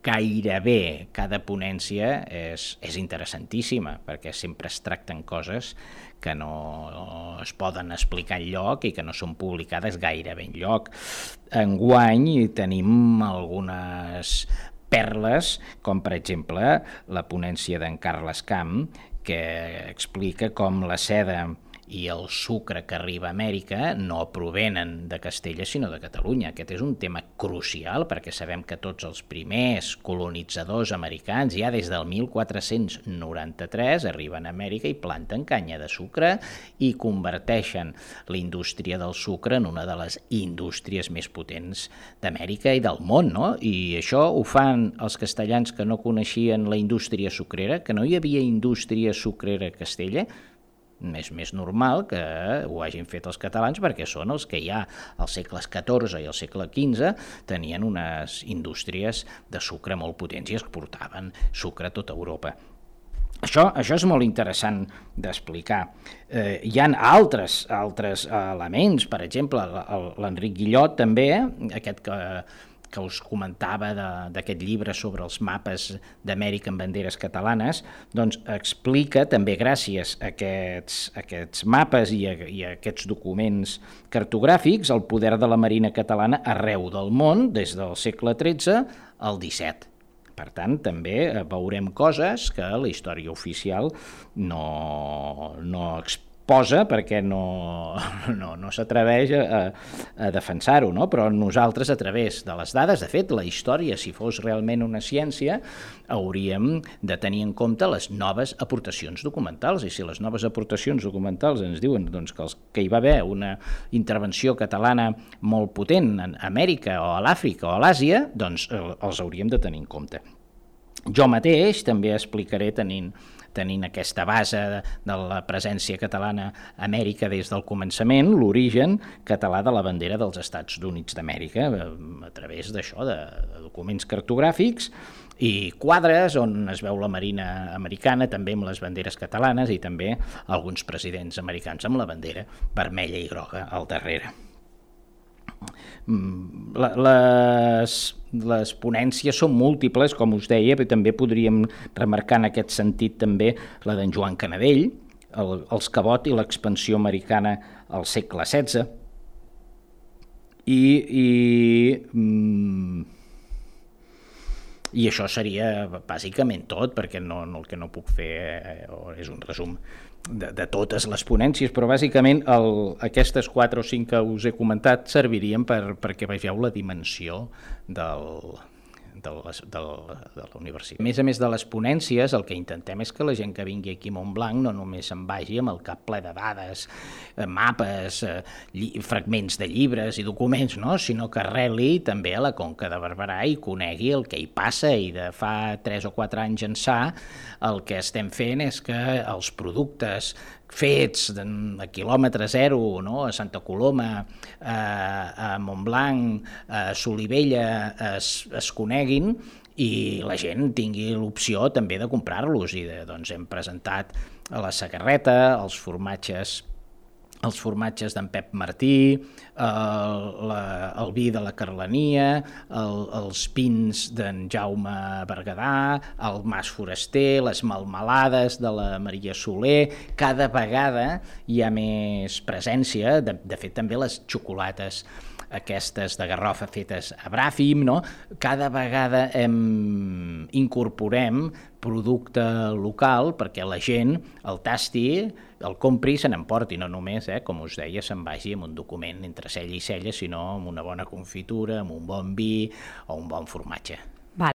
gairebé cada ponència és interessantíssima, perquè sempre es tracten coses que no es poden explicar enlloc i que no són publicades gairebé enlloc. Enguany tenim algunes perles, com per exemple la ponència d'en Carles Camp, que explica com la seda i el sucre que arriba a Amèrica no provenen de Castella sinó de Catalunya. Aquest és un tema crucial perquè sabem que tots els primers colonitzadors americans ja des del 1493 arriben a Amèrica i planten canya de sucre i converteixen la indústria del sucre en una de les indústries més potents d'Amèrica i del món, no? I això ho fan els castellans que no coneixien la indústria sucrera, que no hi havia indústria sucrera a Castella. És més normal que ho hagin fet els catalans perquè són els que ja als segles XIV i al segle XV tenien unes indústries de sucre molt potents i exportaven sucre a tota Europa. Això és molt interessant d'explicar. Hi ha altres elements, per exemple, l'Enric Guillot també, aquest que us comentava d'aquest llibre sobre els mapes d'Amèrica en banderes catalanes, doncs explica també gràcies a aquests mapes i a aquests documents cartogràfics el poder de la Marina catalana arreu del món des del segle XIII al XVII. Per tant, també veurem coses que la història oficial no exposa perquè no s'atreveix a defensar-ho, no? Però nosaltres, a través de les dades, de fet, la història, si fos realment una ciència, hauríem de tenir en compte les noves aportacions documentals, i si les noves aportacions documentals ens diuen doncs, que hi va haver una intervenció catalana molt potent a Amèrica o a l'Àfrica o a l'Àsia, doncs els hauríem de tenir en compte. Jo mateix també explicaré tenint aquesta base de la presència catalana a Amèrica des del començament, l'origen català de la bandera dels Estats Units d'Amèrica, a través d'això, de documents cartogràfics i quadres on es veu la Marina americana, també amb les banderes catalanes i també alguns presidents americans amb la bandera vermella i groga al darrere. Les ponències són múltiples, com us deia, però també podríem remarcar en aquest sentit també la d'en Joan Canadell, els Cabot i l'expansió americana al segle XVI, i això seria bàsicament tot, perquè el que no puc fer és un resum de totes les ponències, però bàsicament aquestes 4 o 5 que us he comentat servirien perquè vegeu la dimensió de la universitat. A més de les ponències, el que intentem és que la gent que vingui aquí a Montblanc no només se'n vagi amb el cap ple de dades, mapes, fragments de llibres i documents, no? Sinó que arreli també a la Conca de Barberà i conegui el que hi passa, i de fa 3 o 4 anys ençà el que estem fent és que els productes fets a quilòmetre zero, no? A Santa Coloma, a Montblanc, a Solivella, es coneguin i la gent tingui l'opció també de comprar-los. I doncs hem presentat a la Sagarreta els formatges d'en Pep Martí, el vi de la Carlania, els vins d'en Jaume Berguedà, el Mas Foraster, les melmelades de la Maria Soler. Cada vegada hi ha més presència, de fet també les xocolates aquestes de garrofa fetes a Bràfim, no? Cada vegada incorporem producte local perquè la gent el tasti, el compri i se n'emporti, no només, com us deia, se'n vagi amb un document entre cella i cella, sinó amb una bona confitura, amb un bon vi o un bon formatge.